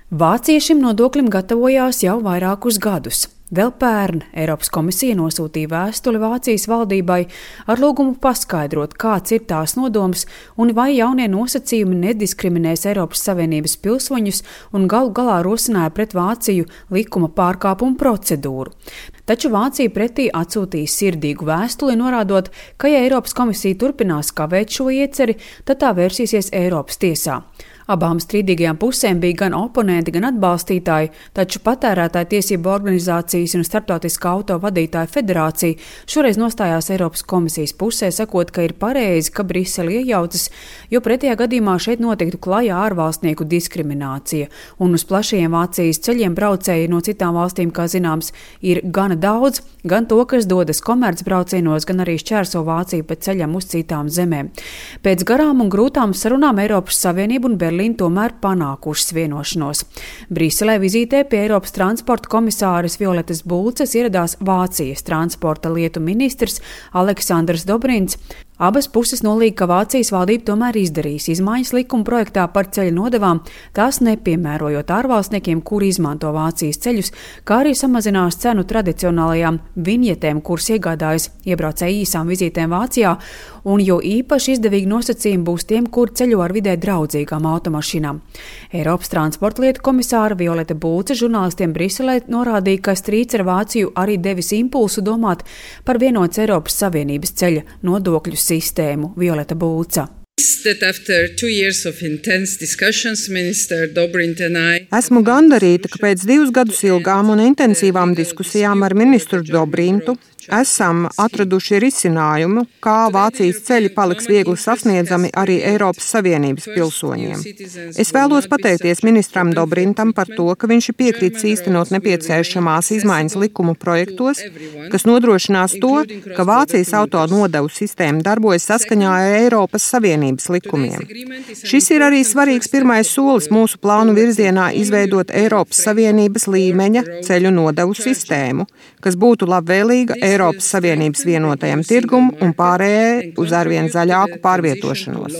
Vācija šim nodoklim gatavojās jau vairākus gadus. Vēl pērn Eiropas komisija nosūtīja vēstuli Vācijas valdībai ar lūgumu paskaidrot, kāds ir tās nodoms un vai jaunie nosacījumi nediskriminēs Eiropas Savienības pilsoņus un galu galā rosināja pret Vāciju likuma pārkāpumu procedūru. Taču Vācija pretī atsūtīja sirdīgu vēstuli, norādot, ka ja Eiropas komisija turpinās kavēt šo ieceri, tad tā vērsīsies Eiropas tiesā. Abām strīdīgajām pusēm bija gan oponenti, gan atbalstītāji, taču patērētāju tiesību organizācijas un Starptautiskā auto vadītāju federācija šoreiz nostājās Eiropas komisijas pusē, sakot, ka ir pareizi, ka Brisele iejaucas, jo pretējā gadījumā šeit notiktu klajā ārvalstnieku diskriminācija. Un uz plašajiem Vācijas ceļiem braucēji no citām valstīm, kā zināms, ir gana daudz, gan to, kas dodas komercbraucienos, gan arī šķērso Vāciju pa ceļam uz citām zemēm. Pēc garām un grūtām sarunām Eiropas Savienība un Berlīna tomēr panākušas vienošanos. Briselē vizītē pie Eiropas transporta komisāres Violetas Bulces ieradās Vācijas transporta lietu ministrs Aleksandrs Dobrins. Abas puses nolīga, ka Vācijas valdība tomēr izdarīs izmaiņas likuma projektā par ceļu nodevām, tās nepiemērojot ārvalstniekiem, kuri izmanto Vācijas ceļus, kā arī samazinās cenu tradicionālajām viņetēm, kuras iegādājas iebraucēji īsām vizītēm Vācijā, un jo īpaši izdevīgi nosacījumi būs tiem, kur ceļo ar vidē draudzīgām automašīnām. Eiropas transporta lietu komisāra Violeta Bulce žurnālistiem Briselē norādīja, ka strīds ar Vāciju arī devis impulsu domāt par vienotas Eiropas Savienības ceļa nodokļu sistēmu. Violeta Bulca. Esmu gandarīta, ka pēc 2 gadus ilgām un intensīvām diskusijām ar ministru Dobrintu esam atraduši risinājumu, kā Vācijas ceļi paliks viegli sasniedzami arī Eiropas Savienības pilsoņiem. Es vēlos pateikties ministram Dobrintam par to, ka viņš ir piekrītis īstenot nepieciešamās izmaiņas likumu projektos, kas nodrošinās to, ka Vācijas auto nodevu sistēma darbojas saskaņā ar Eiropas Savienības likumiem. Šis ir arī svarīgs pirmais solis mūsu plānu virzienā izveidot Eiropas Savienības līmeņa ceļu nodevu sistēmu, kas būtu labvēlīga Eiropas Savienības vienotajam tirgum un pārējai uz arvien zaļāku pārvietošanos.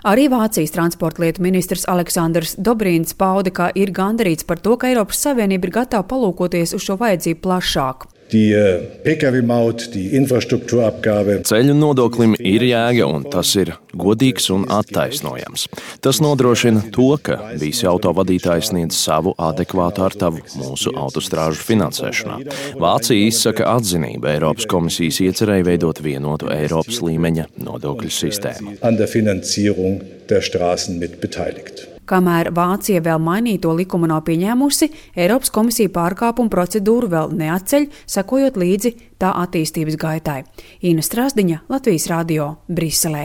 Arī Vācijas transporta lietu ministrs Aleksandrs Dobrins pauda, ka ir gandarīts par to, ka Eiropas Savienība ir gatava palūkoties uz šo vajadzību plašāk. Ceļu nodoklim ir jēga, un tas ir godīgs un attaisnojams. Tas nodrošina to, ka visi autovadītāji sniedz savu adekvātu artavu mūsu autostrāžu finansēšanā. Vācija izsaka atzinību Eiropas komisijas iecerēja veidot vienotu Eiropas līmeņa nodokļu sistēmu. Kamēr Vācija vēl mainīto likumu nav pieņēmusi, Eiropas komisija pārkāpumu procedūru vēl neatceļ, sekojot līdzi tā attīstības gaitai. Ina Strasdiņa, Latvijas radio, Briselē.